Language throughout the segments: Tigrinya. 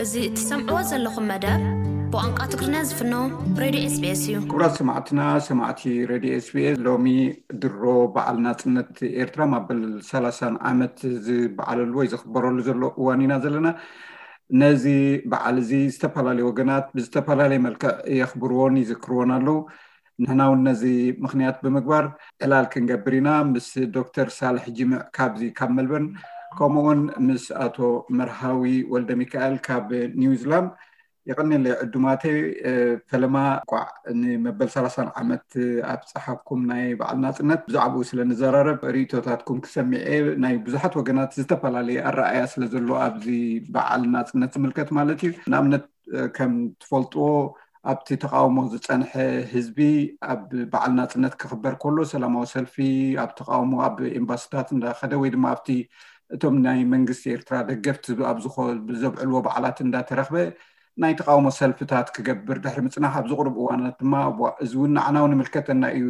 እዚ እትሰምዕዎ ዘለኹም መደብ ብቋንቋ ትግርኛ ዝፍኖ ሬድዮ ኤስቢኤስ እዩ። ክቡራት ሰማዕትና፣ ሰማዕቲ ሬድዮ ኤስቢኤስ፣ ሎሚ ድሮ በዓል ናጽነት ኤርትራ ማበል ሰላሳን ዓመት ዝበዓለሉ ወይ ዝኽበረሉ ዘሎ እዋን ኢና ዘለና። ነዚ በዓል እዚ ዝተፈላለዩ ወገናት ብዝተፈላለየ መልክዕ የኽብርዎን ይዝክርዎን ኣለዉ። ንሕና እውን ነዚ ምኽንያት ብምግባር ዕላል ክንገብር ኢና፣ ምስ ዶክተር ሳልሕ ጅምዕ ካብዚ ካብ መልበርን፣ ከምኡውን ምስ ኣቶ መርሃዊ ወልደ ሚካኤል ካብ ኒውዚላንድ። የቐንየለይ ዕዱማተይ። ፈለማ እንቋዕ ንመበል ሰላሳን ዓመት ኣብፀሓኩም ናይ በዓል ናፅነት። ብዛዕባኡ ስለ ንዘራረብ ርእቶታትኩም ክሰሚዐ፣ ናይ ብዙሓት ወገናት ዝተፈላለየ ኣረኣያ ስለ ዘሎ ኣብዚ በዓል ናፅነት ዝምልከት ማለት እዩ። ንኣብነት ከም ትፈልጥዎ ኣብቲ ተቃውሞ ዝጸንሐ ህዝቢ ኣብ በዓል ናጽነት ክኽበር ከሎ ሰላማዊ ሰልፊ ኣብ ተቃውሞ ኣብ ኤምባሲታት እንዳኸደ ወይ ድማ ኣብቲ እቶም ናይ መንግስቲ ኤርትራ ደገፍቲ ኣብ ዝኾ-፣ ዘብዕልዎ በዓላት እንዳተረኽበ ናይ ተቃውሞ ሰልፍታት ክገብር ድሕሪ ምጽናሕ ኣብዚ ቁሩብ እዋናት ድማ ዋ-፣ እዚ እውን ንዓና እውን ይምልከተና እዩ፣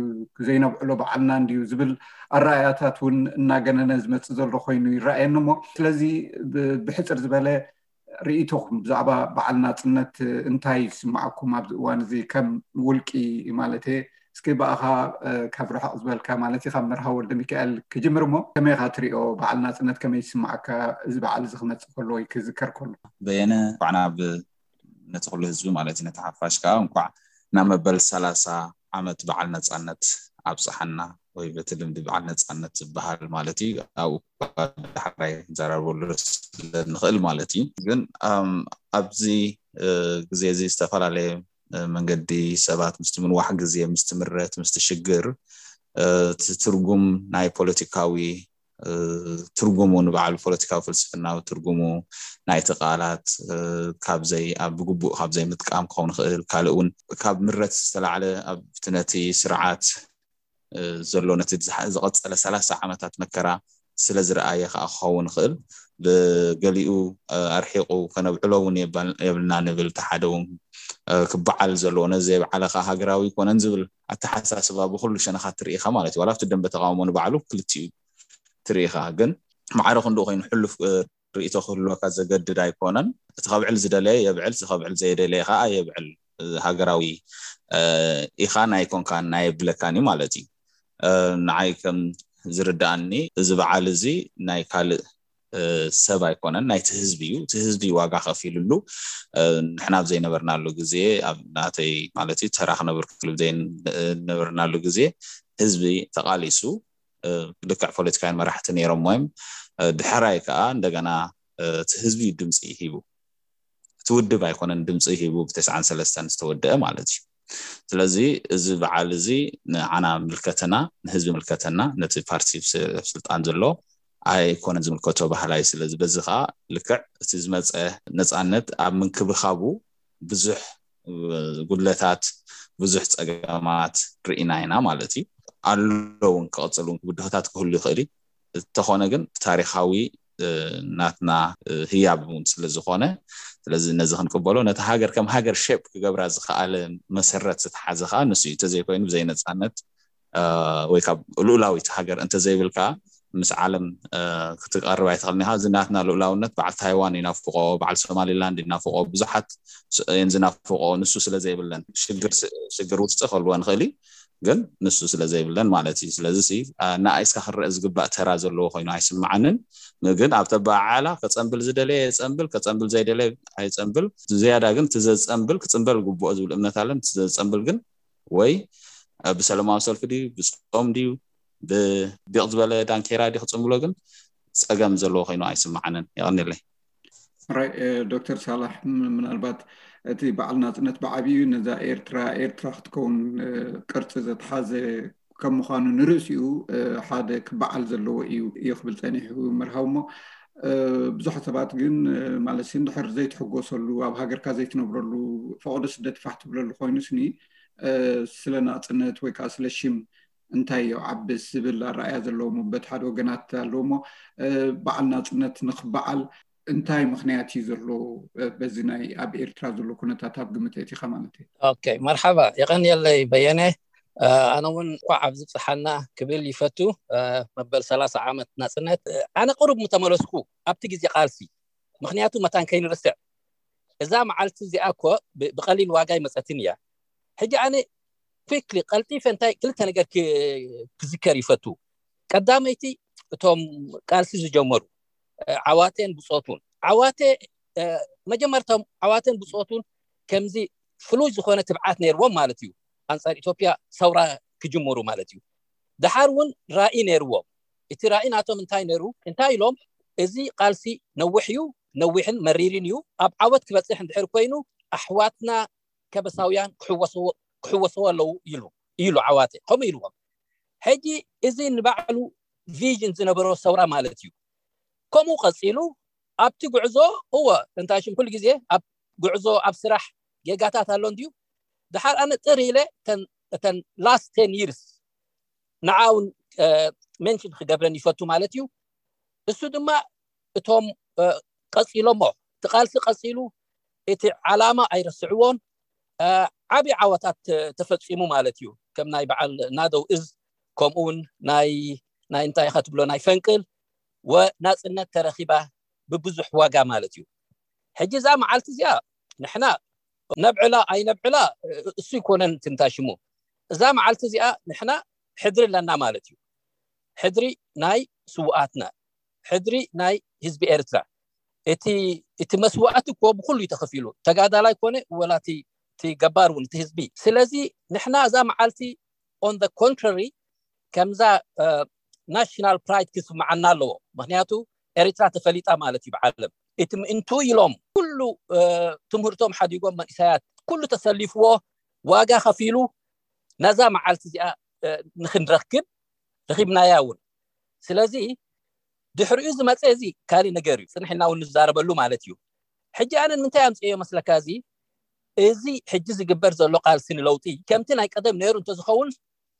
ዘይነብዕሎ በዓልና እንድዩ ዝብል ኣረኣያታት እውን እናገነነ ዝመጽእ ዘሎ ኮይኑ ይረኣየኒ። እሞ ስለዚ ብ-፣ ብሕጽር ዝበለ ርእይቶኹም ብዛዕባ በዓል ናጽነት እንታይ ይስምዓኩም ኣብዚ እዋን እዚ ከም ውልቂ ማለት እየ? እስኪ ብኣኻ ካብ ርሕቕ ዝበልካ ማለት እዩ ካብ መርሃዊ ወልደ ሚካኤል ክጅምር እሞ ከመይ ኢኻ ትሪኦ በዓል ናጽነት ከመይ ይስምዓካ እዚ በዓል እዚ ክመጽእ ከሎ ወይ ክዝከር ከሎ? በየነ እንኳዕ ናብ ነቲ ኩሉ ህዝቢ ማለት እዩ ነቲ ሓፋሽ ከዓ እንኳዕ ናብ መበል ሰላሳ ዓመት በዓል ነጻነት ኣብጽሓና ወይ በቲ ልምዲ በዓል ነጻነት ዝበሃል ማለት እዩ ኣብኡ ዳሕራይ ክንዘራረበሉ ስለ ንኽእል ማለት እዩ። ግን ኣብዚ ግዜ እዚ ዝተፈላለየ መንገዲ ሰባት ምስቲ ምንዋሕ ግዜ ምስቲ ምረት ምስቲ ሽግር እቲ ትርጉም ናይ ፖለቲካዊ ትርጉሙ ንባዕሉ ፖለቲካዊ ፍልስፍናዊ ትርጉሙ ናይቲ ቃላት ካብዘይ ኣብ ብግቡእ ካብዘይ ምጥቃም ክኸውን ይኽእል ካልእ እውን ካብ ምረት ዝተላዕለ ኣብቲ ነቲ ስርዓት ዘሎ ነቲ ዝቐፀለ ሰላሳ ዓመታት መከራ ስለ ዝረኣየ ከዓ ክኸውን ይኽእል ብገሊኡ ኣርሒቑ ከነብዕሎ እውን የብልና ንብል እቲ ሓደ እውን ክበዓል ዘለዎ ነዚ ዘይበዓለ ከዓ ሃገራዊ ይኮነን ዝብል ኣተሓሳስባ ብኩሉ ሸነኻት ትርኢኻ ማለት እዩ ዋላ ኣብቲ ደንበ ተቃውሞ ንባዕሉ ክልቲኡ ትርኢኻ ግን ማዕረ ክንድኡ ኮይኑ ሕሉፍ ርእይቶ ክህልወካ ዘገድድ ኣይኮነን እቲ ከብዕል ዝደለየ የብዕል እቲ ከብዕል ዘይደለየ ከዓ የብዕል ሃገራዊ ኢኻን ኣይኮንካን ኣይብለካን እዩ ማለት እዩ ንዓይ ከም ዝርዳኣኒ እዚ በዓል እዚ ናይ ካልእ ሰብ ኣይኮነን ናይቲ ህዝቢ እዩ እቲ ህዝቢ ዋጋ ከፊልሉ ንሕና ኣብ ዘይነበርናሉ ግዜ ኣብ ናተይ ማለት እዩ ተራ ክነብር ክልብ ዘይነበርናሉ ግዜ ህዝቢ ተቃሊሱ ልክዕ ፖለቲካውያን መራሕቲ ነይሮም ወይም ድሕራይ ከዓ እንደገና እቲ ህዝቢ ድምፂ ሂቡ እቲ ውድብ ኣይኮነን ድምፂ ሂቡ ብተስዓን ሰለስተን ዝተወደአ ማለት እዩ ስለዚ እዚ በዓል እዚ ንዓና ምልከተና ንህዝቢ ምልከተና ነቲ ፓርቲ ስልጣን ዘሎ ኣይኮነን ዝምልከቶ ባህላይ ስለዚ በዚ ከዓ ልክዕ እቲ ዝመፀ ነፃነት ኣብ ምንክብኻቡ ብዙሕ ጉድለታት ብዙሕ ፀገማት ርኢና ኢና ማለት እዩ ኣሎ እውን ክቐፅል እውን ብድሆታት ክህሉ ይኽእል እዩ እንተኾነ ግን ታሪካዊ ናትና ህያብ እውን ስለ ዝኾነ ስለዚ ነዚ ክንቅበሎ ነቲ ሃገር ከም ሃገር ሸፕ ክገብራ ዝኸኣለ መሰረት ዝተሓዘ ከዓ ንሱ እዩ እንተዘይኮይኑ ብዘይነፃነት ወይ ካብ ልኡላዊት ሃገር እንተዘይብል ከዓ ምስ ዓለም ክትቀርብ ኣይትኽእልን ኢኻ እዚ ናትና ልኡላውነት በዓል ታይዋን ይናፍቆ በዓል ሶማሊላንድ ይናፍቆ ብዙሓት እየን ዝናፍቆ ንሱ ስለ ዘይብለን ሽግር ውስጢ ከልወ ንኽእል እዩ ግን ንሱ ስለ ዘይብለን ማለት እዩ ስለዚ ንኣይስካ ክረአ ዝግባእ ተራ ዘለዎ ኮይኑ ኣይስምዓንን ግን ኣብ ተበዓዓላ ከፀንብል ዝደለየ የፀንብል ከፀንብል ዘይደለየ ኣይፀንብል ዝያዳ ግን እቲ ዘፀንብል ክፅንበል ግብኦ ዝብል እምነት ኣለን እቲ ዘፀንብል ግን ወይ ብሰለማዊ ሰልፊ ድዩ ብፆም ድዩ ብዲቕ ዝበለ ዳንኬራ ድዩ ክፅንብሎ ግን ፀገም ዘለዎ ኮይኑ ኣይስምዓንን የቐኒለይ ራይ ዶክተር ሳላሕ ምናልባት እቲ በዓል ናፅነት ብዓብዩ ነዛ ኤርትራ ኤርትራ ክትከውን ቅርፂ ዘተሓዘ ከም ምዃኑ ንርእሲኡ ሓደ ክበዓል ዘለዎ እዩ እዩ ክብል ፀኒሑ መርሃው እሞ ብዙሓት ሰባት ግን ማለት እንድሕር ዘይትሕጎሰሉ ኣብ ሃገርካ ዘይትነብረሉ ፈቐዶ ስደት ፋሕ ትብለሉ ኮይኑ ስኒ ስለ ናፅነት ወይ ከዓ ስለ ሽም እንታይ የውዓብስ ዝብል ኣረኣያ ዘለዎም በቲ ሓደ ወገናት ኣለዎ እሞ በዓል ናፅነት ንክበዓል እንታይ ምክንያት እዩ ዘሎ በዚ ናይ ኣብ ኤርትራ ዘሎ ኩነታት ኣብ ግምት ኣእቲኻ ማለት እዩ ኦኬ መርሓባ የቐንየለይ በየነ ኣነ እውን እንኳዕ ኣብ ዝብፅሓና ክብል ይፈቱ መበል ሰላሳ ዓመት ናፅነት ኣነ ቅሩብ ምተመለስኩ ኣብቲ ግዜ ቃልሲ ምክንያቱ መታን ከይንርስዕ እዛ መዓልቲ እዚኣ እኮ ብቐሊል ዋጋ ይመፀትን እያ። ሕጂ ኣነ quickly ቀልጢፈ እንታይ ክልተ ነገር ክዝከር ይፈቱ። ቀዳመይቲ እቶም ቃልሲ ዝጀመሩ ዓዋቴን ብፆቱን ዓዋቴ መጀመርቶም ዓዋቴን ብፆቱን ከምዚ ፍሉይ ዝኾነ ትብዓት ነይርዎም ማለት እዩ። ኣንፃር ኢትዮጵያ ሰውራ ክጅምሩ ማለት እዩ። ደሓር እውን ራኢ ነይርዎም። እቲ ራኢ ናቶም እንታይ ነይሩ? እንታይ ኢሎም? እዚ ቃልሲ ነዊሕ እዩ፣ ነዊሕን መሪርን እዩ። ኣብ ዓወት ክበፅሕ እንድሕር ኮይኑ ኣሕዋትና ከበሳውያን ክሕወስዎ ኣለዉ ኢሉ ኢሉ ዓዋተ ከምኡ ኢልዎም። ሕጂ እዚ ንባዕሉ ቪዥን ዝነበሮ ሰውራ ማለት እዩ። ከምኡ ቀፂሉ ኣብቲ ጉዕዞ እወ እንታይ ሽም ኩሉ ግዜ ኣብ ጉዕዞ ኣብ ስራሕ ጌጋታት ኣሎ እንድዩ። ድሓር ኣነ ጥር ኢለ እተን last ten years ንዓውን ሜንሽን ክገብረን ይፈቱ ማለት እዩ። እሱ ድማ እቶም ቀፂሎሞ እቲ ቃልሲ ቀፂሉ እቲ ዓላማ ኣይረስዕዎን። ዓብዪ ዓወታት ተፈፂሙ ማለት እዩ። ከም ናይ በዓል ናደው እዝ ከምኡውን ናይ ናይ እንታይ ኢኻ ትብሎ ናይ ፈንቅል ወናፅነት ተረኺባ ብብዙሕ ዋጋ ማለት እዩ። ሕጂ እዛ መዓልቲ እዚኣ ንሕና ነብዕላ ኣይነብዕላ እሱ ይኮነን ትንታሽሙ። እዛ መዓልቲ እዚኣ ንሕና ሕድሪ ኣለና ማለት እዩ። ሕድሪ ናይ ስውኣትና፣ ሕድሪ ናይ ህዝቢ ኤርትራ። እቲ እቲ መስዋእቲ እኮ ብኩሉ እዩ ተኸፊሉ። ተጋዳላይ ኮነ ወላ እቲ ገባር እውን እቲ ህዝቢ። ስለዚ ንሕና እዛ መዓልቲ on the contrary ከምዛ ናሽናል ፕራይድ ክስምዓና ኣለዎ። ምክንያቱ ኤርትራ ተፈሊጣ ማለት እዩ ብዓለም። እቲ ምእንቱ ኢሎም ኩሉ ትምህርቶም ሓዲጎም መንእሰያት ኩሉ ተሰሊፍዎ ዋጋ ከፊሉ ነዛ መዓልቲ እዚኣ ንክንረክብ ረኪብናያ እውን። ስለዚ ድሕሪኡ ዝመፀ እዚ ካሊእ ነገር እዩ፣ ፅንሕና እውን ንዛረበሉ ማለት እዩ። ሕጂ ኣነ ንምንታይ ኣምፅዮ መስለካ? እዚ እዚ ሕጂ ዝግበር ዘሎ ቃልሲ ንለውጢ ከምቲ ናይ ቀደም ነይሩ እንተዝኸውን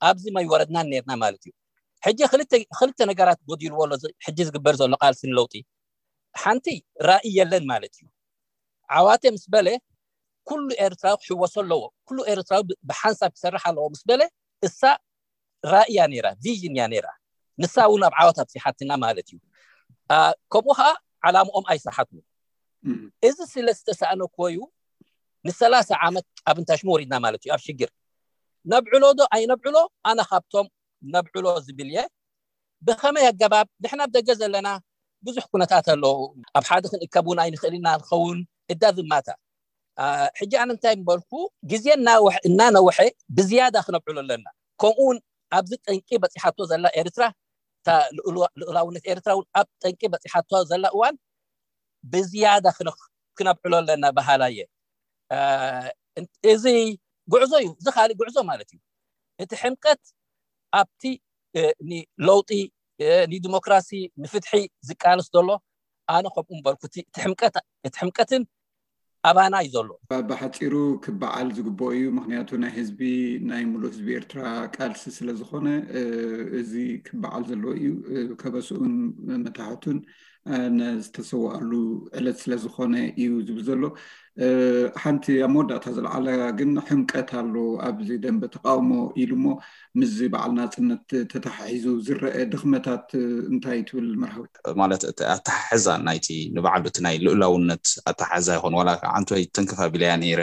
ኣብዚ ማይወረድናን ነርና ማለት እዩ። ሕጂ ክልተ ነገራት ጎዲልዎ ኣሎ ሕጂ ዝግበር ዘሎ ቃልሲ ንለውጢ። ሓንቲ ራእይ የለን ማለት እዩ። ዓዋተ ምስ በለ ኩሉ ኤርትራዊ ክሕወሶ ኣለዎ፣ ኩሉ ኤርትራዊ ብሓንሳብ ክሰርሕ ኣለዎ ምስ በለ እሳ ራእያ ነይራ፣ ቪዥን እያ ነይራ። ንሳ እውን ኣብ ዓወት ኣብፂሓትና ማለት እዩ። ከምኡ ከዓ ዓላምኦም ኣይሰሓቱ። እዚ ስለ ዝተሰኣነ እኮ እዩ ንሰላሳ ዓመት ኣብ እንታሽሙ ወሪድና ማለት እዩ። ኣብ ሽግር ነብዕሎ ዶ ኣይነብዕሎ ኣነ ካብቶም ነብዕሎ ዝብል እየ። ብኸመይ ኣገባብ ንሕና ኣብ ደገ ዘለና ብዙሕ ኩነታት ኣሎ። ኣብ ሓደ ክንእከብ እውን ኣይንኽእል ኢና ንኸውን እዳ ዝማታ። ሕጂ ኣነ እንታይ ምበልኩ ግዜ እናነውሐ ብዝያዳ ክነብዕሎ ኣለና። ከምኡ እውን ኣብዚ ጠንቂ በፂሓቶ ዘላ ኤርትራ ልኡላውነት ኤርትራ እውን ኣብ ጠንቂ በፂሓቶ ዘላ እዋን ብዝያዳ ክነብዕሎ ኣለና በሃላ እየ። እዚ ጉዕዞ እዩ፣ እዚ ካሊእ ጉዕዞ ማለት እዩ። እቲ ሕምቀት ኣብቲ ንለውጢ ንዲሞክራሲ ንፍትሒ ዝቃለስ ዘሎ ኣነ ከምኡ ምበልኩ እቲ ሕምቀትን ኣባና እዩ ዘሎ። ብሓፂሩ ክበዓል ዝግበኦ እዩ። ምክንያቱ ናይ ህዝቢ ናይ ሙሉእ ህዝቢ ኤርትራ ቃልሲ ስለዝኮነ እዚ ክበዓል ዘለዎ እዩ። ከበስኡን መታሕቱን ዝተሰዋኣሉ ዕለት ስለዝኮነ እዩ ዝብል ዘሎ። ሓንቲ ኣብ መወዳእታ ዝለዓላ ግን ሕምቀት ኣሎ ኣብዚ ደንበ ተቃውሞ ኢሉ እሞ ምስዚ በዓል ናፅነት ተተሓሒዙ ዝረአ ድኽመታት እንታይ ትብል መርሃዊ? ማለት ኣተሓሕዛ ናይቲ ንባዕሉ እቲ ናይ ልኡላውነት ኣተሓሕዛ ይኾን ዋላ ዓንቶይ ተንክፍ ኣቢለያ ነይረ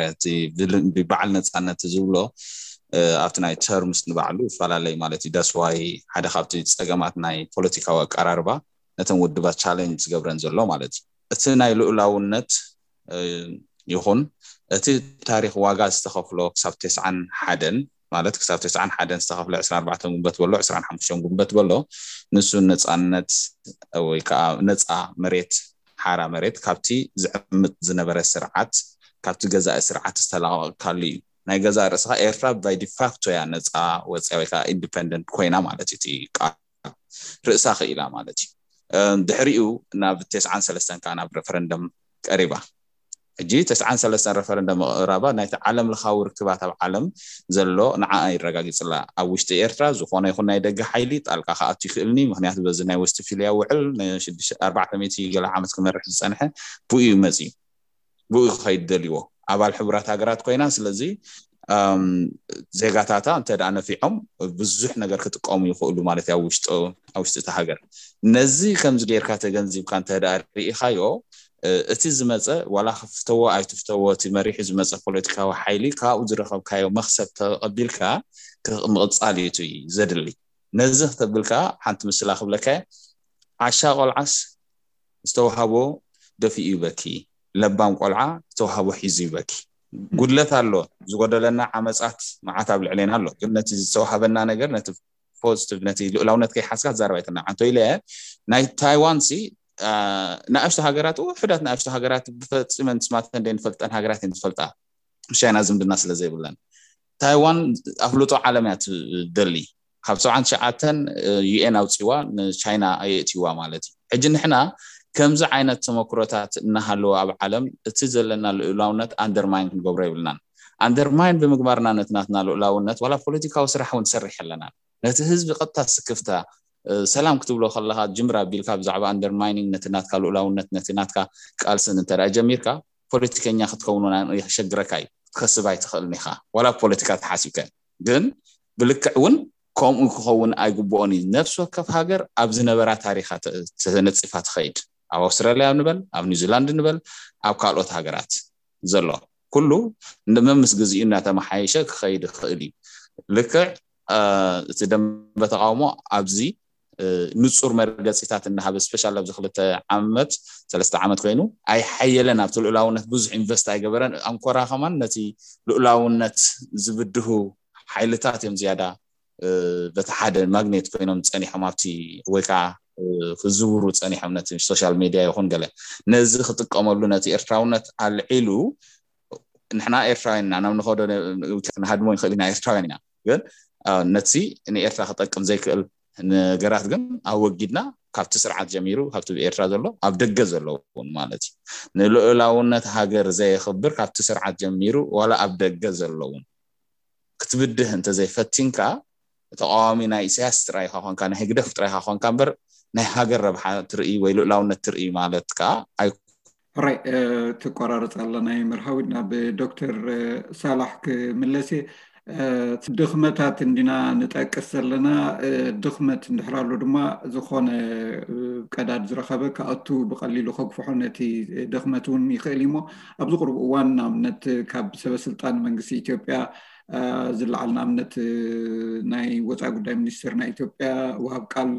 ብበዓል ነፃነት ዝብሎ ኣብቲ ናይ ተርምስ ንባዕሉ ይፈላለይ ማለት እዩ። ዳስዋይ ሓደ ካብቲ ፀገማት ናይ ፖለቲካዊ ኣቀራርባ ነተን ውድባት ቻለንጅ ዝገብረን ዘሎ ማለት እዩ። እቲ ናይ ልኡላውነት ይኹን እቲ ታሪክ ዋጋ ዝተኸፍሎ ክሳብ ተስዓን ሓደን ማለት ክሳብ ተስዓን ሓደን ዝተኸፍለ ዕስራን ኣርባዕተን ጉንበት በሎ ዕስራን ሓሙሽተን ጉንበት በሎ ንሱ ነፃነት ወይ ከዓ ነፃ መሬት ሓራ መሬት ካብቲ ዝዕምጥ ዝነበረ ስርዓት ካብቲ ገዛኢ ስርዓት ዝተላቀቅካሉ እዩ። ናይ ገዛእ ርእስኻ ኤርትራ by de facto እያ ነፃ ወፅያ ወይ ከዓ ኢንዲፐንደንት ኮይና ማለት እዩ። እቲ ቃል ርእሳ ክኢላ ማለት እዩ። ድሕሪኡ ናብ ተስዓን ሰለስተን ከዓ ናብ ሬፈረንደም ቀሪባ። ሕጂ ተስዓን ሰለስተን ሬፈረንደም ምቕራባ ናይቲ ዓለም ለኻዊ ርክባት ኣብ ዓለም ዘሎ ንዓኣ ይረጋግፅላ። ኣብ ውሽጢ ኤርትራ ዝኾነ ይኹን ናይ ደገ ሓይሊ ጣልቃ ክኣቱ ይኽእልኒ፣ ምክንያቱ በዚ ናይ ወስትፊልያ ውዕል ኣርባዕተ ሚእቲ ገለ ዓመት ክመርሕ ዝፀንሐ ብኡ እዩ መፅዩ፣ ብኡ ክኸይድ ደልይዎ ኣባል ሕቡራት ሃገራት ኮይና። ስለዚ ዜጋታታ እንተ ደኣ ነፊዖም ብዙሕ ነገር ክጥቀሙ ይኽእሉ ማለት እዩ ኣብ ውሽጢ እቲ ሃገር። ነዚ ከምዚ ጌርካ ተገንዚብካ እንተ ደኣ ርኢኻዮ እቲ ዝመፀ ዋላ ክፍተዎ ኣይትፍተዎ እቲ መሪሑ ዝመፀ ፖለቲካዊ ሓይሊ ካብኡ ዝረኸብካዮ መክሰብ ተቐቢልካ ምቕፃል እዩ ዘድሊ። ነዚ ክተብልካ ሓንቲ ምስላ ክብለካ፣ ዓሻ ቆልዓስ ዝተዋሃቦ ደፊኡ ይበኪ፣ ለባም ቆልዓ ዝተዋሃቦ ሒዙ ይበኪ። ጉድለት ኣሎ፣ ዝጎደለና ዓመፃት መዓት ኣብ ልዕሌና ኣሎ። ግን ነቲ ዝተዋሃበና ነገር ነቲ ፖዚቲቭ ነቲ ልኡላውነት ከይሓዝካ ትዛረብ ኣይትናዓንቶ ኢለ። ናይ ታይዋን ሲ ንኣሽቱ ሃገራት ውሕዳት ንኣሽቱ ሃገራት ብፈፂመን ስማተን ደይንፈልጠን ሃገራት እየን ዝፈልጣ፣ ምስ ቻይና ዝምድና ስለ ዘይብለን። ታይዋን ኣፍልጦ ዓለም እያ ትደሊ። ካብ ሰብዓን ትሽዓተን ዩኤን ኣውፂዋ ንቻይና ኣየእትይዋ ማለት እዩ። ሕጂ ንሕና ከምዚ ዓይነት ተመክሮታት እናሃለወ ኣብ ዓለም እቲ ዘለና ልኡላውነት ኣንደርማይን ክንገብሮ የብልናን። ኣንደርማይን ብምግባርና ነቲ ናትና ልኡላውነት ዋላ ፖለቲካዊ ስራሕ እውን ትሰርሕ ኣለና። ነቲ ህዝቢ ቀጥታ ስክፍታ ሰላም ክትብሎ ከለካ ጅምር ኣቢልካ ብዛዕባ ኣንደርማይኒንግ ነቲ ናትካ ልኡላውነት ነቲ ናትካ ቃልስን እንተ ጀሚርካ ፖለቲከኛ ክትከውን የሸግረካ እዩ። ክትከስብ ኣይትኽእልን ኢኻ ዋላ ፖለቲካ ተሓሲብካ። ግን ብልክዕ እውን ከምኡ ክኸውን ኣይግብኦን እዩ። ነፍሲ ወከፍ ሃገር ኣብ ዝነበራ ታሪኻ ተነፂፋ ትኸይድ። ኣብ ኣውስትራልያ ንበል፣ ኣብ ኒውዚላንድ ንበል፣ ኣብ ካልኦት ሃገራት ዘሎ ኩሉ መምስ ግዜኡ እናተመሓየሸ ክኸይድ ይኽእል እዩ። ልክዕ እቲ ደንበ ተቃውሞ ኣብዚ ንፁር መርገፂታት እናሃበ ስፔሻል ኣብዚ ክልተ ዓመት ሰለስተ ዓመት ኮይኑ ኣይሓየለን ኣብቲ ልኡላውነት ብዙሕ ኢንቨስት ኣይገበረን። ኣንኮራ ከማን ነቲ ልኡላውነት ዝብድሁ ሓይልታት እዮም ዝያዳ በቲ ሓደ ማግኔት ኮይኖም ፀኒሖም ኣብቲ ወይ ከዓ ክዝውሩ ፀኒሖም ነቲ ሶሻል ሜድያ ይኹን ገለ ነዚ ክጥቀመሉ ነቲ ኤርትራውነት ኣልዒሉ ንሕና ኤርትራውያን ኢና ናብ ንኸዶ ክንሃድሞ ይኽእል ኢና ኤርትራውያን ኢና ግን ነቲ ንኤርትራ ክጠቅም ዘይክእል ነገራት ግን ኣወጊድና ካብቲ ስርዓት ጀሚሩ ካብቲ ብኤርትራ ዘሎ ኣብ ደገ ዘለውን ማለት እዩ ንልኡላውነት ሃገር ዘየኽብር ካብቲ ስርዓት ጀሚሩ ዋላ ኣብ ደገ ዘለውን ክትብድህ እንተዘይፈቲንካ ተቃዋሚ ናይ ኢሳያስ ጥራይ ኢኻ ኮንካ ናይ ህግደፍ ጥራይ ኢኻ ኮንካ እምበር ናይ ሃገር ረብሓ ትርኢ ወይ ልኡላውነት ትርኢ ማለት ከዓ ኣይ ሕራይ ትቆራረፅ ኣላ ናይ መርሃዊት ናብ ዶክተር ሳላሕ ክምለስ ድኽመታት እንዲና ንጠቅስ ዘለና ድኽመት እንድሕር ኣሎ ድማ ዝኾነ ቀዳድ ዝረኸበ ክኣቱ ብቀሊሉ ከግፍሖ ነቲ ድኽመት እውን ይኽእል እዩሞ ኣብዚ ቅርብ እዋን ንኣብነት ካብ ሰበስልጣን መንግስቲ ኢትዮጵያ ዝለዓል ንኣብነት ናይ ወፃኢ ጉዳይ ሚኒስትር ናይ ኢትዮጵያ ወሃብ ቃል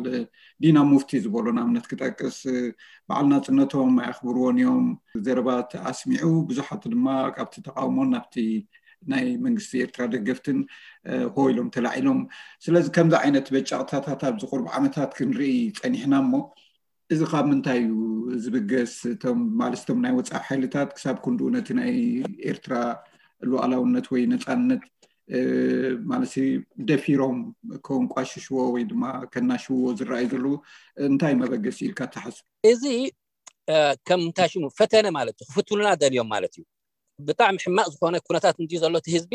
ዲና ሙፍቲ ዝበሎ ንኣብነት ክጠቅስ በዓል ናፅነቶም ኣየኽብርዎን እዮም ዘረባት ኣስሚዑ ብዙሓት ድማ ካብቲ ተቃውሞ ናብቲ ናይ መንግስቲ ኤርትራ ደገፍትን ሆ ኢሎም ተላዒሎም ስለዚ ከምዚ ዓይነት በጫቕታታት ኣብዚ ቁርብ ዓመታት ክንርኢ ፀኒሕና እሞ እዚ ካብ ምንታይ እዩ ዝብገስ እቶም ማለት እቶም ናይ ወፃኢ ሓይልታት ክሳብ ክንድኡ ነቲ ናይ ኤርትራ ሉዓላውነት ወይ ነፃነት ማለት ደፊሮም ከንቋሽሽዎ ወይ ድማ ከናሽውዎ ዝረኣዩ ዘለዉ እንታይ መበገሲ ኢልካ ትሓስብ? እዚ ከም እንታይ ሽሙ ፈተነ ማለት እዩ ክፍትኑና ደልዮም ማለት እዩ ብጣዕሚ ሕማቅ ዝኾነ ኩነታት እንዲ ዘሎ እቲ ህዝቢ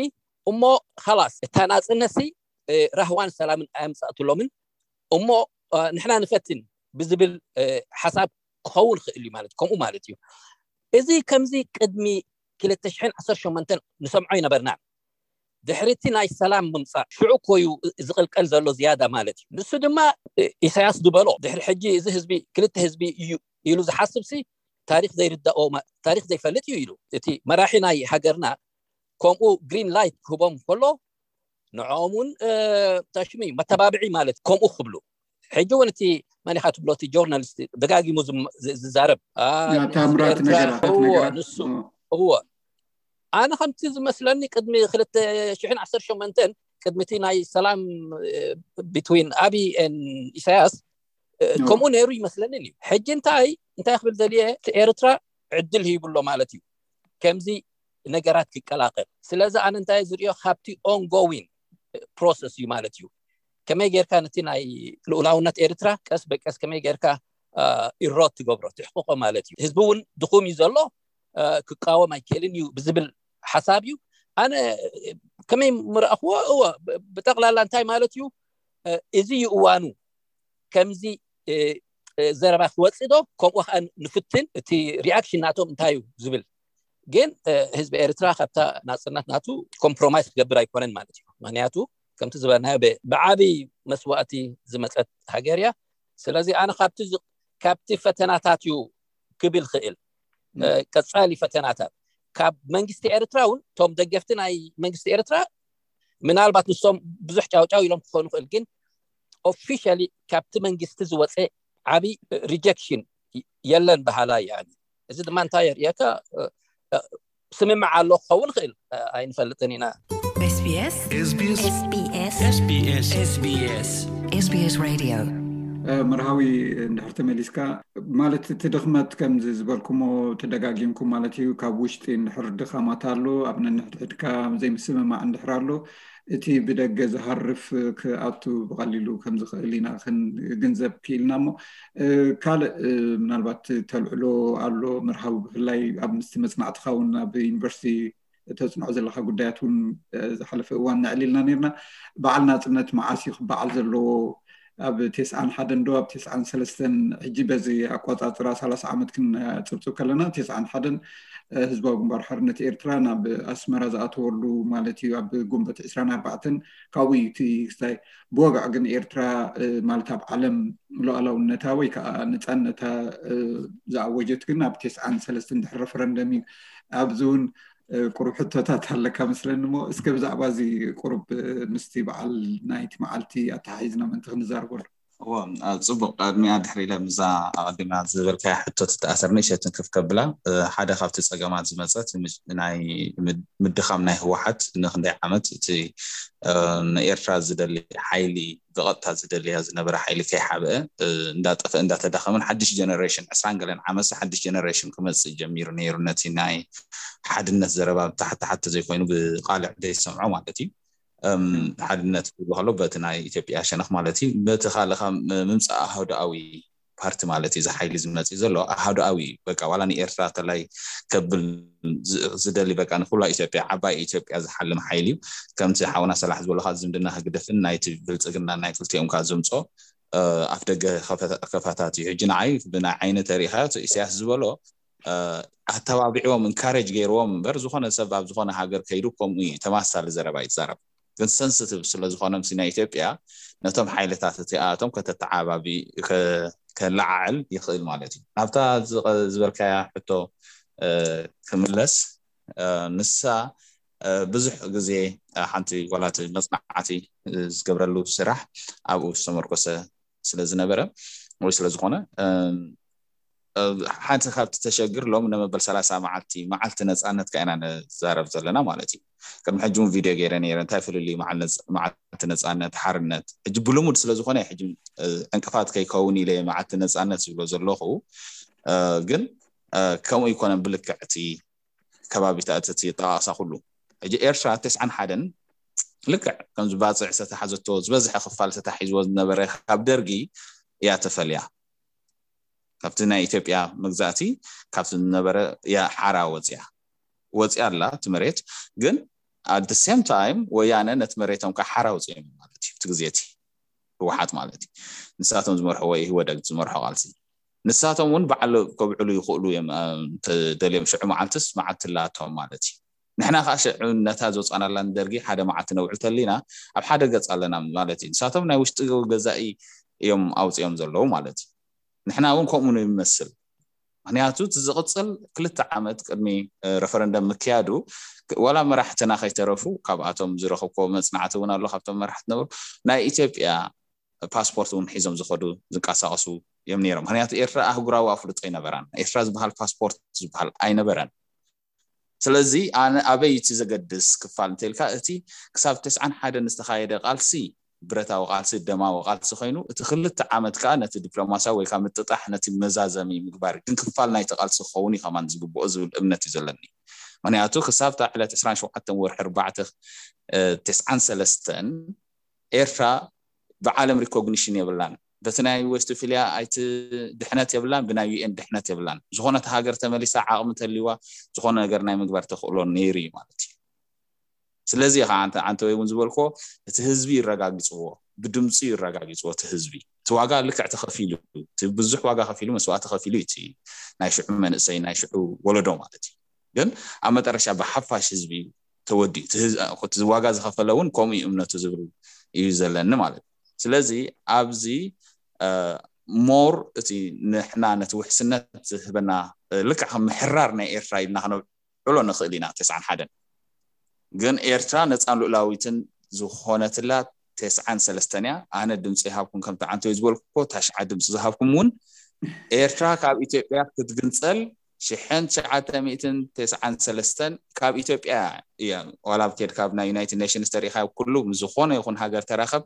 እሞ ኻላስ እታ ናፅነትሲ ራህዋን ሰላምን ኣየምፃእትሎምን እሞ ንሕና ንፈትን ብዝብል ሓሳብ ክኸውን ክእል እዩ ማለት ከምኡ ማለት እዩ እዚ ከምዚ ቅድሚ ክልተ ሽሕን ዓሰርተ ሸሞንተን ንሰምዖ ይነበርና ድሕሪ እቲ ናይ ሰላም ምምፃእ ሽዑ ኮዩ ዝቕልቀል ዘሎ ዝያዳ ማለት እዩ ንሱ ድማ ኢሳያስ ዝበሎ ድሕሪ ሕጂ እዚ ህዝቢ ክልተ ህዝቢ እዩ ኢሉ ዝሓስብ ሲ ታሪክ ዘይርዳኦ ታሪክ ዘይፈልጥ እዩ ኢሉ እቲ መራሒ ናይ ሃገርና ከምኡ ግሪን ላይት ክህቦም ከሎ ንዕኦም እውን ታሽሙ እዩ መተባብዒ ማለት ከምኡ ክብሉ ሕጂ እውን እቲ መን ኢኻ ትብሎ እቲ ጆርናሊስት ደጋጊሙ ዝዛረብ ታምራት ነገራት ነገራት ንሱ እዎ ኣነ ከምቲ ዝመስለኒ ቅድሚ ክልተ ሽሕን ዓሰርተ ሸሞንተን ቅድሚ እቲ ናይ ሰላም ቢትዊን ኣብይ ኢሳያስ ከምኡ ነይሩ ይመስለኒ እዩ ሕጂ እንታይ እንታይ ክብል ዘልየ ኤርትራ ዕድል ሂብሎ ማለት እዩ ከምዚ ነገራት ክቀላቀል ስለዚ ኣነ እንታይ ዝሪኦ ካብቲ ongoing process እዩ ማለት እዩ ከመይ ጌርካ ነቲ ናይ ልኡላውነት ኤርትራ ቀስ በቀስ ከመይ ጌርካ ኢሮት ትገብሮ ትሕቅቆ ማለት እዩ ህዝቢ እውን ድኹም እዩ ዘሎ ክቃወም ኣይክእልን እዩ ብዝብል ሓሳብ እዩ ኣነ ከመይ ምረእኽዎ እወ ብጠቅላላ እንታይ ማለት እዩ እዚ እዩ እዋኑ ከምዚ ዘረባ ክወፅእ ዶ ከምኡ ከዓ ንፍትን እቲ reaction ናቶም እንታይ እዩ ዝብል ግን ህዝቢ ኤርትራ ካብታ ናፅነት ናቱ compromise ክገብር ኣይኮነን ማለት እዩ ምክንያቱ ከምቲ ዝበልናዮ ብዓብይ መስዋእቲ ዝመፀት ሃገር እያ ስለዚ ኣነ ካብቲ ካብቲ ፈተናታት እዩ ክብል ክእል ቀፃሊ ፈተናታት ካብ መንግስቲ ኤርትራ እውን እቶም ደገፍቲ ናይ መንግስቲ ኤርትራ ምናልባት ንሶም ብዙሕ ጫውጫው ኢሎም ክኾኑ ይኽእል፣ ግን ኦፊሻሊ ካብቲ መንግስቲ ዝወፀ ዓብይ ሪጀክሽን የለን በሃላይ። ያኒ እዚ ድማ እንታይ የርእየካ? ስምምዕ ኣሎ ክኸውን ይኽእል፣ ኣይንፈልጥን ኢና። SBS SBS SBS SBS SBS Radio መርሃዊ እንድሕር ተመሊስካ ማለት እቲ ድኽመት ከምዚ ዝበልኩሞ ተደጋጊምኩም ማለት እዩ። ካብ ውሽጢ እንድሕር ድኻማት ኣሎ፣ ኣብ ነንሕድሕድካ ዘይምስምማዕ እንድሕር ኣሎ፣ እቲ ብደገ ዝሃርፍ ክኣቱ ብቐሊሉ ከም ዝኽእል ኢና ክንግንዘብ ክኢልና። እሞ ካልእ ምናልባት ተልዕሎ ኣሎ መርሃዊ፣ ብፍላይ ኣብ ምስቲ መፅናዕትኻ እውን ኣብ ዩኒቨርሲቲ ተፅንዖ ዘለካ ጉዳያት እውን ዝሓለፈ እዋን ነዕሊልና ነርና። በዓል ናፅነት መዓስ እዩ ክበዓል ዘለዎ? ኣብ ቴስዓን ሓደን ዶ ኣብ ቴስዓን ሰለስተን? ሕጂ በዚ ኣቆፃፅራ ሰላሳ ዓመት ክንፅብፅብ ከለና ቴስዓን ሓደን ህዝባዊ ግንባር ሓርነት ኤርትራ ናብ ኣስመራ ዝኣተወሉ ማለት እዩ። ኣብ ጉንበት ዕስራን ኣርባዕተን ካብኡ እዩ እቲ ክስታይ ብወግዕ ግን ኤርትራ ማለት ኣብ ዓለም ሉዓላውነታ ወይ ከዓ ነፃነታ ዝኣወጀት ግን ኣብ ቴስዓን ሰለስተን ድሕሪ ረፈረንደም እዩ። ኣብዚ እውን ቁሩብ ሕቶታት ኣለካ መስለኒ። እሞ እስከ ብዛዕባ እዚ ቁሩብ ምስቲ በዓል ናይቲ መዓልቲ ኣተሓሒዝና ምእንቲ ክንዛረበሉ። እዎ፣ ጽቡቕ። ቅድሚያ ድሕሪ ኢለ ምዛ ኣቐዲምና ዝበልካያ ሕቶ ትተኣሰር ንእሸትን ክፍ ከብላ፣ ሓደ ካብቲ ጸገማት ዝመጸት ናይ ምድኻም ናይ ህወሓት ንክንደይ ዓመት እቲ ንኤርትራ ዝደሊ ሓይሊ ብቐጥታ ዝደልያ ዝነበረ ሓይሊ ከይሓብአ እንዳጠፍአ እንዳተዳኸመን ሓድሽ ጀነሬሽን ዕስራን ገለን ዓመት ሓድሽ ጀነሬሽን ክመፅእ ጀሚሩ ነይሩ። ነቲ ናይ ሓድነት ዘረባ ብታሕቲ ታሕቲ ዘይኮይኑ ብቃልዕ ዘይሰምዖ ማለት እዩ። ሓድነት ክብሉ ከሎ በቲ ናይ ኢትዮጵያ ሸነኽ ማለት እዩ። በቲ ካልኻ ምምፃእ ኣህዳዊ ፓርቲ ማለት እዩ። እዚ ሓይሊ ዝመፅእ ዘሎ ኣህዳዊ በቃ ዋላ ንኤርትራ ተላይ ከብል ዝደሊ በቃ ንኩላ ኢትዮጵያ ዓባይ ኢትዮጵያ ዝሓልም ሓይሊ እዩ። ከምቲ ሓውና ሰላሕ ዝበሎ ዝምድና ህግደፍን ናይቲ ብልፅግና ናይ ክልቲኦም ካ ዝምፆ ኣፍ ደገ ከፋታት እዩ። ሕጂ ንዓይ ብናይ ዓይኒ ተሪኢኻዮ ኢሳያስ ዝበሎ ኣተባቢዕዎም እንካሬጅ ገይርዎም እምበር ዝኾነ ሰብ ኣብ ዝኾነ ሃገር ከይዱ ከምኡ እዩ ተማሳሊ ዘረባ ይዛረብ። ግን ሰንስቲቭ ስለዝኾነ ምስ ናይ ኢትዮጵያ ነቶም ሓይልታት እቲኣቶም ከተተዓባቢ ከለዓዕል ይኽእል ማለት እዩ። ናብታ ዝበልካያ ሕቶ ክምለስ፣ ንሳ ብዙሕ ግዜ ሓንቲ ጓላት መፅናዕቲ ዝገብረሉ ስራሕ ኣብኡ ዝተመርኮሰ ስለዝነበረ ወይ ስለዝኾነ ሓንቲ ካብቲ ተሸግር ሎም ነመበል ሰላሳ መዓልቲ መዓልቲ ነፃነት ከ ኢና ንዛረብ ዘለና ማለት እዩ። ቅድሚ ሕጂ እውን ቪድዮ ገይረ ነይረ እንታይ ፍልልዩ መዓልቲ ነፃነት ሓርነት ሕጂ ብልሙድ ስለዝኾነ ሕጂ ዕንቅፋት ከይከውን ኢለ መዓልቲ ነፃነት ዝብሎ ዘለኹ። ግን ከምኡ ይኮነን ብልክዕቲ ከባቢታት እቲ ጠቃቅሳ ኩሉ ሕጂ ኤርትራ ተስዓን ሓደን ልክዕ ከምዚ ባፅዕ ዝተታሓዘቶ ዝበዝሐ ክፋል ተታሒዝዎ ዝነበረ ካብ ደርጊ እያ ተፈልያ። ካብቲ ናይ ኢትዮጵያ መግዛእቲ ካብቲ ዝነበረ እያ ሓራ ወፅያ ወፅያ ኣላ እቲ መሬት። ግን at the same time ወያነ ነቲ መሬቶም ከዓ ሓራ ወፅዮም ማለት እዩ። እቲ ግዜ እቲ ህወሓት ማለት እዩ። ንሳቶም ዝመርሕዎ ኢህወደግ ዝመርሖ ቃልሲ ንሳቶም እውን በዓል ከብዕሉ ይኽእሉ እዮም። ተደልዮም ሽዑ መዓልትስ መዓልቲ ላቶም ማለት እዩ። ንሕና ከዓ ሽዑ ነታ ዝወፃናላ ንደርጊ ሓደ መዓልቲ ነውዕል ተሊና ኣብ ሓደ ገፅ ኣለና ማለት እዩ። ንሳቶም ናይ ውሽጢ ገዛኢ እዮም ኣውፅኦም ዘለዉ ማለት እዩ። ንሕና እውን ከምኡ ንመስል። ምክንያቱ እቲ ዝቕፅል ክልተ ዓመት ቅድሚ ረፈረንደም ምክያዱ ዋላ መራሕትና ከይተረፉ ካብኣቶም ዝረኸብኮ መፅናዕቲ እውን ኣሎ። ካብቶም መራሕቲ ነበሩ ናይ ኢትዮጵያ ፓስፖርት እውን ሒዞም ዝኸዱ ዝንቀሳቀሱ እዮም ነይሮም። ምክንያቱ ኤርትራ ኣህጉራዊ ኣፍልጦ ኣይነበራን። ኤርትራ ዝበሃል ፓስፖርት ዝበሃል ኣይነበረን። ስለዚ ኣነ ኣበይ እቲ ዘገድስ ክፋል እንተልካ እቲ ክሳብ ተስዓን ሓደን ዝተኻየደ ቃልሲ ብረታዊ ቃልሲ ደማዊ ቃልሲ ኮይኑ እቲ ክልተ ዓመት ከዓ ነቲ ዲፕሎማሲያዊ ወይ ከዓ ምጥጣሕ ነቲ መዛዘሚ ምግባር ግን ክፋል ናይቲ ቃልሲ ክኸውን እዩ ከማን ዝግብኦ ዝብል እምነት እዩ ዘለኒ። ምክንያቱ ክሳብ እታ ዕለት ዕስራን ሸውዓተን ወርሒ ኣርባዕተ ተስዓን ሰለስተን ኤርትራ ብዓለም ሪኮግኒሽን የብላን። በቲ ናይ ዌስትፊልያ ኣይቲ ድሕነት የብላን፣ ብናይ ዩኤን ድሕነት የብላን። ዝኾነት ሃገር ተመሊሳ ዓቕሚ ተልዋ ዝኾነ ነገር ናይ ምግባር ተኽእሎ ነይሩ እዩ ማለት እዩ። ስለዚ ከዓ ኣንተ ኣንተ ወይ እውን ዝበልኮ እቲ ህዝቢ ይረጋግፅዎ፣ ብድምፂ ይረጋግፅዎ። እቲ ህዝቢ እቲ ዋጋ ልክዕ ተኸፊሉ እቲ ብዙሕ ዋጋ ከፊሉ መስዋዕቲ ከፊሉ እዩ እቲ ናይ ሽዑ መንእሰይ ናይ ሽዑ ወለዶ ማለት እዩ። ግን ኣብ መጠረሻ ብሓፋሽ ህዝቢ ተወዲኡ እቲ ዋጋ ዝኸፈለ እውን ከምኡ እዩ እምነቱ ዝብል እዩ ዘለኒ ማለት እዩ። ስለዚ ኣብዚ ሞር እቲ ንሕና ነቲ ውሕስነት ዝህበና ልክዕ ከም ምሕራር ናይ ኤርትራ ኢልና ክነብዕሎ ንኽእል ኢና። ተስዓን ሓደን ግን ኤርትራ ነፃን ሉእላዊትን ዝኾነትላ ተስዓን ሰለስተን እያ። ኣነ ድምፂ ይሃብኩም ከም ተዓንተዩ ዝበልኩ እኮ ታሽዓ ድምፂ ዝሃብኩም እውን ኤርትራ ካብ ኢትዮጵያ ክትግንፀል ሽሕን ትሽዓተ ሚእትን ተስዓን ሰለስተን ካብ ኢትዮጵያ እያ። ዋላ ኣብ ኬድ ካብ ናይ ዩናይትድ ኔሽንስ ተሪኻ ኩሉ ምስ ዝኾነ ይኹን ሃገር ተራኸብ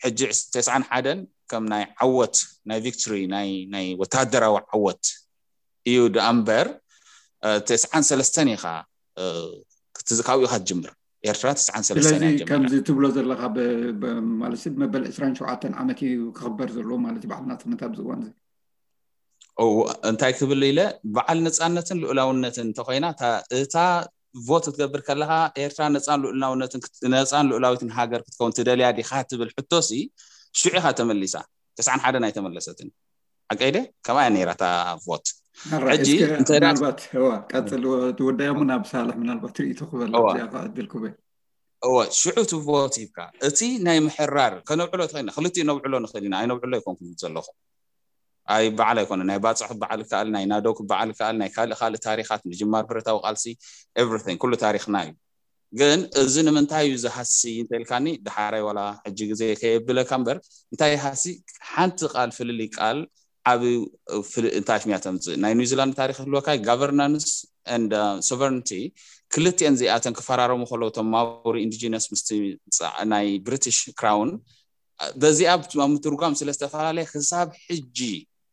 ሕጂ ተስዓን ሓደን ከም ናይ ዓወት ናይ ቪክቶሪ ናይ ወታደራዊ ዓወት እዩ ደኣ እምበር ተስዓን ሰለስተን ኢኻ ካብኡ ኢኻ ትጅምር። ኤርትራ ተስዓን ሰለስተን ስለዚ ከምዚ ትብሎ ዘለካ ማለት መበል ዕስራን ሸውዓተን ዓመት እዩ ክኽበር ዘለዎ ማለት እዩ በዓል ናፅነት ኣብዚ እዋን እዚ። እንታይ ክብል ኢለ በዓል ነፃነትን ልኡላውነትን እንተኮይና እታ ቮት ክትገብር ከለካ ኤርትራ ነፃን ልኡላውነትን ነፃን ልኡላዊትን ሃገር ክትከውን ትደልያ ዲካ ትብል ሕቶሲ ሽዑ ኢካ ተመሊሳ። ተስዓን ሓደን ኣይተመለሰትን። ሓቀይ ደ ከምኣ እያ ነይራ እታ ቮት። ሕጂ ምናልባት ቀፅል ትወዳያ ሞ ናብ ሳልሕ ምናልባት ርእይቶ ክበላ እዚኣ ዕድል ክበል እወ ሽዑ እቲ ቮት ሂብካ እቲ ናይ ምሕራር ከነውዕሎ ተኽእልና ክልቲኡ ነውዕሎ ንኽእል ኢና። ኣይነውዕሎ ኣይኮንኩም ዘለኹ ኣይ በዓል ኣይኮነ ናይ ባፅዕ ክበዓል ይከኣል ናይ ናደው ክበዓል ይከኣል ናይ ካልእ ካልእ ታሪኻት ምጅማር ብረታዊ ቃልሲ everything ኩሉ ታሪኽና እዩ። ግን እዚ ንምንታይ እዩ ዝሃሲ እንተልካኒ ድሓራይ ዋላ ሕጂ ግዜ ከየብለካ እምበር እንታይ ሃሲ ሓንቲ ቃል ፍልልይ ቃል ዓብ እንታይ ሽሚያ ተምፅእ ናይ ኒውዚላንድ ታሪክ ህልወካ governance and sovereignty ክልቲኤን ዚኣተን ክፈራረሙ ከለዉ ቶም ማውሪ indigenous ምስቲ ናይ ብሪቲሽ ክራውን በዚኣ ኣብ ምትርጓም ስለ ዝተፈላለየ ክሳብ ሕጂ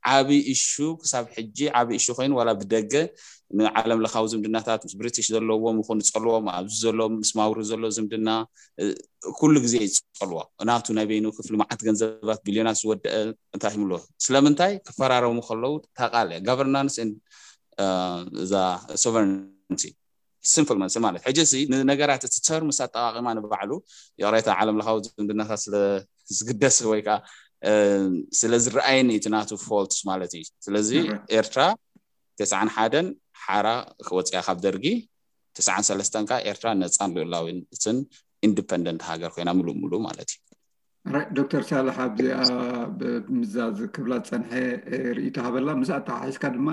ዓብ እሹ ክሳብ ሕጂ ዓብ እሹ ኮይኑ ዋላ ብደገ ንዓለም ለኻዊ ዝምድናታት ምስ ብሪቲሽ ዘለዎም ይኹን ዝፀልዎም ኣብዚ ዘሎ ምስ ማውሪ ዘሎ ዝምድና ኩሉ ግዜ ይፀልዎ ናቱ ናይ በይኑ ክፍሊ መዓት ገንዘባት ቢልዮናት ዝወደአ እንታይ ይምሎ ስለምንታይ ክፈራረሙ ከለዉ ታቃለ governance እዛ sovereignty simple መልሲ ማለት ሕጂ ሲ ንነገራት እቲ terms ኣጠቃቂማ ንባዕሉ ይቅሬታ ዓለም ለኻዊ ዝምድናታት ስለ ዝግደስ ወይ ከዓ ስለ ዝረኣየኒ እቲ ናቱ faults ማለት እዩ። ስለዚ ኤርትራ ተስዓን ሓደን ሓራ ክወፅያ ካብ ደርጊ ተስዓን ሰለስተን ከዓ ኤርትራ ነፃን ልኡላዊትን independent ሃገር ኮይና ምሉእ ምሉእ ማለት እዩ። ዶክተር ሳልሕ ኣብዚኣ ምዛዝ ክብላ ዝፀንሐ ርእይቶ ሃበላ ምስ ኣተሓሒዝካ ድማ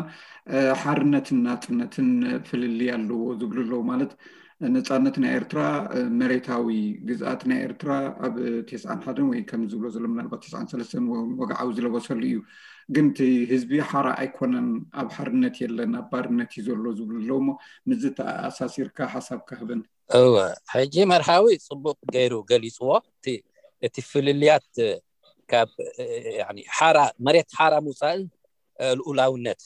ሓርነትን ናፅነትን ፍልልይ ኣለዎ ዝብሉ ኣለዉ ማለት ነፃነት ናይ ኤርትራ መሬታዊ ግዝኣት ናይ ኤርትራ ኣብ ተስዓን ሓደን ወይ ከም ዝብሎ ዘሎ ምናልባት ተስዓን ሰለስተን ወግዓዊ ዝለበሰሉ እዩ ግን እቲ ህዝቢ ሓራ ኣይኮነን ኣብ ሓርነት የለን ኣብ ባርነት እዩ ዘሎ ዝብሉ ኣለዉ እሞ ምዚ ተኣሳሲርካ ሓሳብ ካህበን እወ ሕጂ መርሃዊ ፅቡቅ ገይሩ ገሊፅዎ እቲ ፍልልያት ካብ ሓራ መሬት ሓራ ምውፃእን ልኡላውነት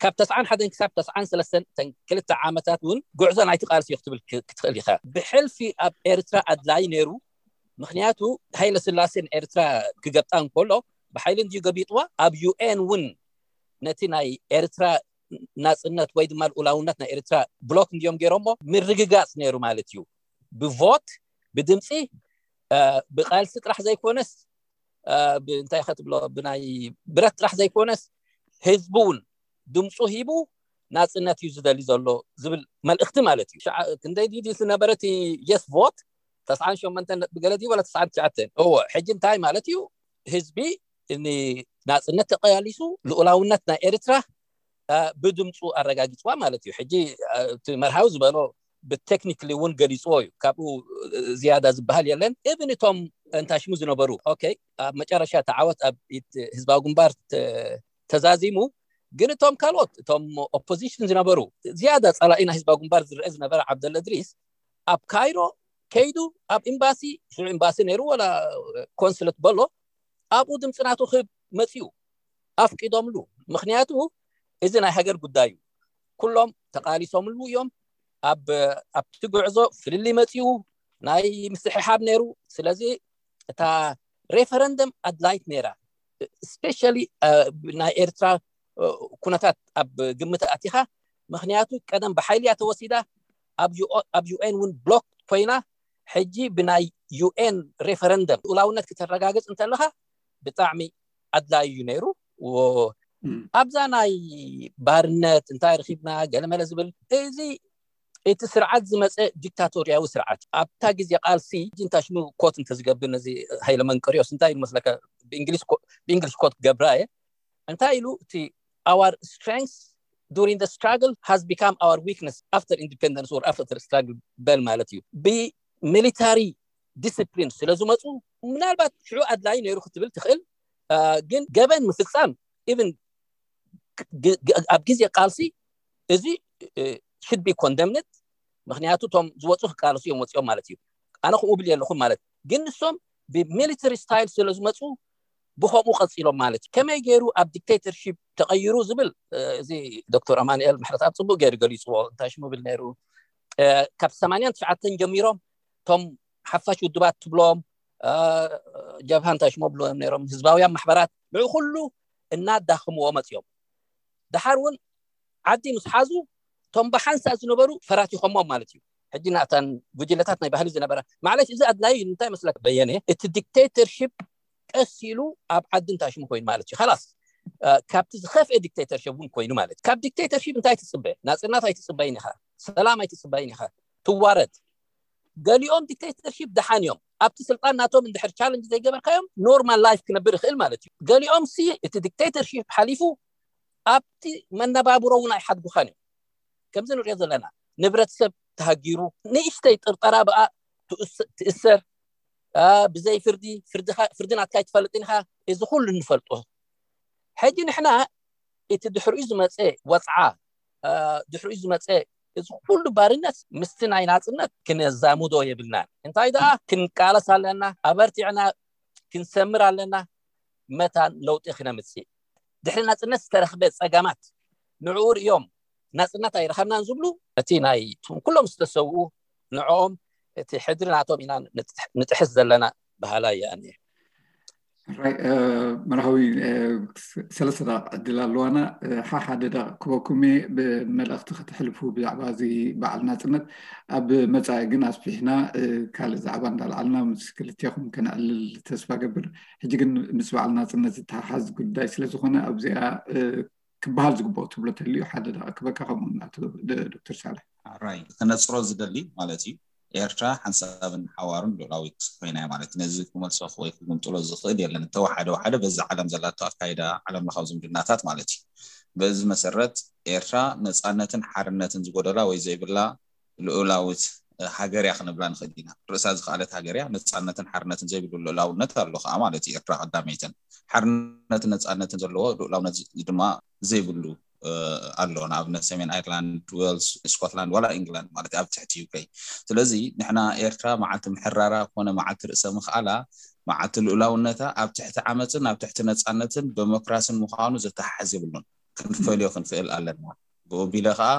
ካብ ተስዓን ሓደን ክሳብ ተስዓን ሰለስተን ተን ክልተ ዓመታት እውን ጉዕዞ ናይቲ ቃልሲ እዩ ክትብል ክትኽእል ኢኻ ብሕልፊ ኣብ ኤርትራ ኣድላይ ነይሩ ምክንያቱ ሃይለ ስላሴ ንኤርትራ ክገብጣ እንከሎ ብሓይሊ እንድዩ ገቢጥዋ ኣብ ዩኤን እውን ነቲ ናይ ኤርትራ ናፅነት ወይ ድማ ልኡላውነት ናይ ኤርትራ ብሎክ እንድዮም ገይሮሞ ምርግጋፅ ነይሩ ማለት እዩ ብቮት ብድምፂ ብቃልሲ ጥራሕ ዘይኮነስ እንታይ ከትብሎ ብናይ ብረት ጥራሕ ዘይኮነስ ህዝቢ እውን ድምፁ ሂቡ ናፅነት እዩ ዝደሊ ዘሎ ዝብል መልእክቲ ማለት እዩ ክንደይ ድዩ ዝነበረ እቲ yes vote ተስዓን ሸሞንተን ነጥቢ ገለ ድዩ ወላ ተስዓን ትሽዓተን እዎ ሕጂ እንታይ ማለት እዩ ህዝቢ ናፅነት ተቀላሊሱ ልኡላውነት ናይ ኤርትራ ብድምፁ ኣረጋጊፅዋ ማለት እዩ ሕጂ እቲ መርሃዊ ዝበሎ ብቴክኒክሊ እውን ገሊፅዎ እዩ ካብኡ ዝያዳ ዝበሃል የለን እብን እቶም እንታሽሙ ዝነበሩ ኦኬ ኣብ መጨረሻ ተዓወት ኣብ ኢድ ህዝባዊ ግንባር ተዛዚሙ ግን እቶም ካልኦት እቶም ኦፖዚሽን ዝነበሩ ዝያዳ ፀላኢ ናይ ህዝባዊ ግንባር ዝረአ ዝነበረ ዓብደለ እድሪስ ኣብ ካይሮ ከይዱ ኣብ ኤምባሲ ሽዑ ኤምባሲ ነይሩ ወላ ኮንስለት በሎ ኣብኡ ድምፂ ናቱ ክህብ መፅኡ ኣፍቂዶምሉ ምክንያቱ እዚ ናይ ሃገር ጉዳይ እዩ ኩሎም ተቃሊሶምሉ እዮም ኣብቲ ጉዕዞ ፍልልይ መፅኡ ናይ ምስሕሓብ ነይሩ ስለዚ እታ ሬፈረንደም ኣድላይት ነይራ ስፔሻሊ ናይ ኤርትራ ኩነታት ኣብ ግምት ኣቲኻ ምክንያቱ ቀደም ብሓይሊ እያ ተወሲዳ ኣብ ዩኤን እውን ብሎክ ኮይና ሕጂ ብናይ ዩኤን ሬፈረንደም ልኡላውነት ክተረጋግፅ እንተለካ ብጣዕሚ ኣድላይ እዩ ነይሩ ኣብዛ ናይ ባርነት እንታይ ረኪብና ገለመለ ዝብል እዚ እቲ ስርዓት ዝመፀ ዲክታቶርያዊ ስርዓት ኣብታ ግዜ ቃልሲ ጅንታ ሽሙ ኮት እንተዝገብር ነዚ ሃይለ መንቀሪዮስ እንታይ ኢሉ መስለካ ብእንግሊሽ ኮት ክገብራ እየ እንታይ ኢሉ እቲ our strength during the struggle has become our weakness after independence or after struggle በል ማለት እዩ። ብሚሊታሪ ዲስፕሊን ስለ ዝመፁ ምናልባት ሽዑ ኣድላይ ነይሩ ክትብል ትኽእል። ግን ገበን ምፍፃም ኢቭን ኣብ ግዜ ቃልሲ እዚ should be condemned። ምክንያቱ እቶም ዝወፁ ክቃለሱ እዮም ወፂኦም ማለት እዩ። ኣነ ከምኡ ብል ኣለኹም ማለት ግን ንሶም ብሚሊተሪ ስታይል ስለ ዝመፁ ብከምኡ ቀፂሎም ማለት እዩ። ከመይ ገይሩ ኣብ ዲክቴተርሺፕ ተቐይሩ ዝብል እዚ ዶክተር ኣማኑኤል ምሕረትኣብ ፅቡቅ ገይሩ ገሊፅዎ። እንታይ ሽሙ ብል ነይሩ ካብ ሰማንያን ትሽዓተን ጀሚሮም እቶም ሓፋሽ ውድባት ትብሎም ጀብሃ እንታይ ሽሞ ብሎም ነይሮም ህዝባውያን ማሕበራት ንዕ ኩሉ እናዳኽምዎ መፅኦም። ደሓር እውን ዓዲ ምስ ሓዙ እቶም ብሓንሳእ ዝነበሩ ፈራቲኾሞም ማለት እዩ። ሕጂ ናተን ጉጅለታት ናይ ባህሊ ዝነበረ ማዕለሽ እዚ ኣድላዩ እንታይ መስለክ በየነ እቲ ዲክቴተርሺፕ ቀስ ኢሉ ኣብ ዓዲ እንታይ ሽሙ ኮይኑ ማለት እዩ። ላስ ካብቲ ዝኸፍአ ዲክቴተርሽፕ እውን ኮይኑ ማለት ካብ ዲክቴተርሽፕ እንታይ ትፅበ? ናፅናት ኣይትፅበይን ኢኻ፣ ሰላም ኣይትፅበይን ኢኻ፣ ትዋረድ። ገሊኦም ዲክቴተርሽፕ ደሓን እዮም ኣብቲ ስልጣን ናቶም እንድሕር ቻለንጅ ዘይገበርካዮም ኖርማል ላይፍ ክነብር ይኽእል ማለት እዩ። ገሊኦም ሲ እቲ ዲክቴተርሽፕ ሓሊፉ ኣብቲ መነባብሮ እውን ኣይሓድጉኻን እዮም። ከምዚ ንሪኦ ዘለና ንብረት ሰብ ተሃጊሩ ንእሽተይ ጥርጠራ ብኣ ትእሰር ብዘይ ፍርዲ ፍርዲ ናትካ ኣይትፈልጥን ኢኻ። እዚ ኩሉ ንፈልጦ። ሕጂ ንሕና እቲ ድሕሪኡ ዝመፀ ወፅዓ ድሕሪኡ ዝመፀ እዚ ኩሉ ባርነት ምስቲ ናይ ናፅነት ክነዛምዶ የብልናን። እንታይ ደኣ ክንቃለስ ኣለና፣ ኣበርቲዕና ክንሰምር ኣለና። መታን ለውጢ ክነምፅእ ድሕሪ ናፅነት ዝተረኽበ ፀገማት ንዕኡ ርእዮም ናፅነት ኣይረኸብናን ዝብሉ እቲ ናይ ኩሎም ዝተሰውኡ ንዕኦም እቲ ሕድሪ ናቶም ኢና ንጥሕስ ዘለና በሃላይ እየ። ራይ መርሃዊ ሰለስተ ደቂቕ ዕድል ኣለዋና። ሓሓደ ደቂቕ ክበኩም እየ ብመልእኽቲ ከተሕልፉ ብዛዕባ እዚ በዓል ናፅነት። ኣብ መፃኢ ግን ኣስፊሕና ካልእ ዛዕባ እንዳልዓልና ምስ ክልቴኹም ከነዕልል ተስፋ ገብር። ሕጂ ግን ምስ በዓል ናፅነት ዝተሓሓዝ ጉዳይ ስለዝኾነ ኣብዚኣ ክበሃል ዝግብኦ ትብሎ ተልዩ ሓደ ደቂቕ ክበካ ከምኡ ዶክተር ሳልሕ። ራይ ክነፅሮ ዝደሊ ማለት እዩ ኤርትራ ሓንሳብን ሓዋሩን ሉዕላዊት ኮይና ማለት ነዚ ክመልሶ ወይ ክግምጥሎ ዝኽእል የለን። እተወሓደ ወሓደ በዚ ዓለም ዘላቶ ኣካይዳ ዓለም ለኻዊ ዝምድናታት ማለት እዩ። በዚ መሰረት ኤርትራ ነፃነትን ሓርነትን ዝጎደላ ወይ ዘይብላ ልኡላዊት ሃገር እያ ክንብላ ንኽእል ኢና። ርእሳ ዝኸኣለት ሃገር እያ። ነፃነትን ሓርነትን ዘይብሉ ልኡላውነት ኣሎ ከዓ ማለት እዩ። ኤርትራ ቀዳመይትን ሓርነትን ነፃነትን ዘለዎ ልኡላውነት ድማ ዘይብሉ ኣሎ። ንኣብነት ሰሜን ኣይርላንድ፣ ዌልስ፣ ስኮትላንድ ዋላ ኢንግላንድ ማለት ኣብ ትሕቲ ዩኬ። ስለዚ ንሕና ኤርትራ መዓልቲ ምሕራራ ኮነ መዓልቲ ርእሰ ምኽኣላ መዓልቲ ልኡላውነታ ኣብ ትሕቲ ዓመፅን ኣብ ትሕቲ ነፃነትን ዴሞክራሲን ምዃኑ ዘተሓሕዝ የብሉን። ክንፈልዮ ክንክእል ኣለና። ብኡ ቢለ ከዓ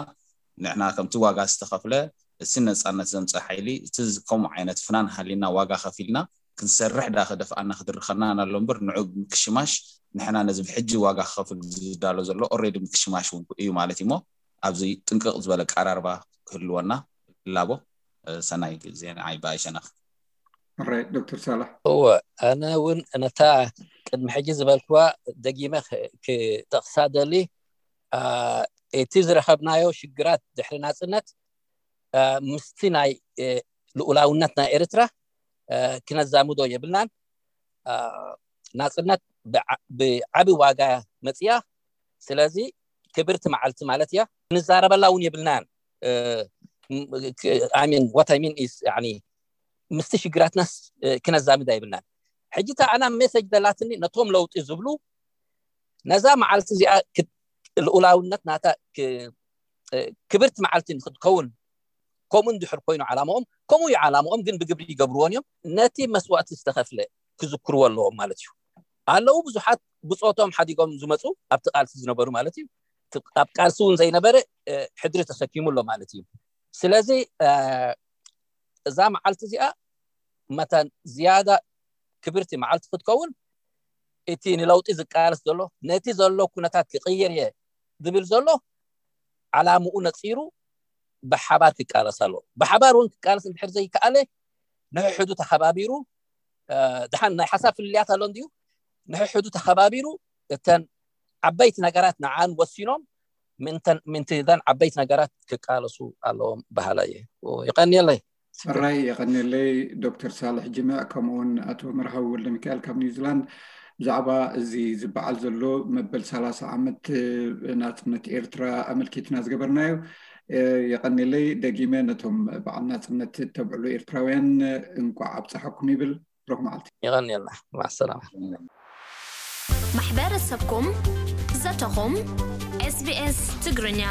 ንሕና ከምቲ ዋጋ ዝተኸፍለ እቲ ነፃነት ዘምፀ ሓይሊ እቲ ከምኡ ዓይነት ፍናን ሃሊና ዋጋ ከፊልና ክንሰርሕ ዳ ክደፍኣና ክድርኸና ኣሎ እምበር ንዑ ምክሽማሽ ንሕና ነዚ ብሕጂ ዋጋ ክኸፍል ዝዳሎ ዘሎ ኦሬዲ ምክሽማሽ እውን እዩ ማለት እዩሞ ኣብዚ ጥንቅቕ ዝበለ ኣቀራርባ ክህልወና እላቦ። ሰናይ ግዜ ንዓይ ብኣይ ሸነኽ። ራይ ዶክተር ሳላሕ። እወ ኣነ እውን ነታ ቅድሚ ሕጂ ዝበልክዋ ደጊመ ክጠቕሳ ደሊ እቲ ዝረኸብናዮ ሽግራት ድሕሪ ናፅነት ምስቲ ናይ ልኡላውነት ናይ ኤርትራ ክነዛምዶ የብልናን። ናፅነት ብዓቢ ዋጋ መፅያ። ስለዚ ክብርቲ መዓልቲ ማለት እያ። ንዛረበላ እውን የብልናን። ሚን ዋት ሚን ኢስ ምስቲ ሽግራትናስ ክነዛምዳ የብልናን። ሕጂ እታ ኣና ሜሴጅ ዘላትኒ ነቶም ለውጢ ዝብሉ ነዛ መዓልቲ እዚኣ ልኡላውነት ናታ ክብርቲ መዓልቲ ንክትከውን ከምኡ እንድሕር ኮይኑ ዓላማኦም ከምኡ እዩ ዓላማኦም፣ ግን ብግብሪ ይገብርዎን እዮም። ነቲ መስዋእቲ ዝተኸፍለ ክዝክርዎ ኣለዎም ማለት እዩ። ኣለዉ ብዙሓት ብፆቶም ሓዲጎም ዝመፁ ኣብቲ ቃልሲ ዝነበሩ ማለት እዩ። ኣብ ቃልሲ እውን ዘይነበረ ሕድሪ ተሰኪሙ ኣሎ ማለት እዩ። ስለዚ እዛ መዓልቲ እዚኣ መታን ዝያዳ ክብርቲ መዓልቲ ክትከውን እቲ ንለውጢ ዝቃለስ ዘሎ ነቲ ዘሎ ኩነታት ክቕይር እየ ዝብል ዘሎ ዓላምኡ ነፂሩ ብሓባር ክቃለስ ኣሎ። ብሓባር እውን ክቃለስ እንድሕር ዘይከኣለ ንሕሕዱ ተኸባቢሩ ድሓን ናይ ሓሳብ ፍልልያት ኣሎ እንድዩ ንሕሕዱ ተኸባቢሩ እተን ዓበይቲ ነገራት ንዓን ወሲኖም ምንተን ምንትዘን ዓበይቲ ነገራት ክቃለሱ ኣለዎም በሃላ እየ። ይቀንየለይ። ሕራይ የቐንየለይ ዶክተር ሳልሕ ጅምዕ ከምኡውን ኣቶ መርሃዊ ወልደ ሚካኤል ካብ ኒውዚላንድ። ብዛዕባ እዚ ዝበዓል ዘሎ መበል ሰላሳ ዓመት ናፅነት ኤርትራ ኣመልኪትና ዝገበርናዮ። የቐኒለይ። ደጊመ ነቶም በዓል ናፅነት ተብዕሉ ኤርትራውያን እንቋዕ ኣብፀሓኩም ይብል። ሩኽ መዓልቲ። የቐኒልና። ማሰላማ። ማሕበረሰብኩም፣ ዘተኹም፣ SBS ትግርኛ።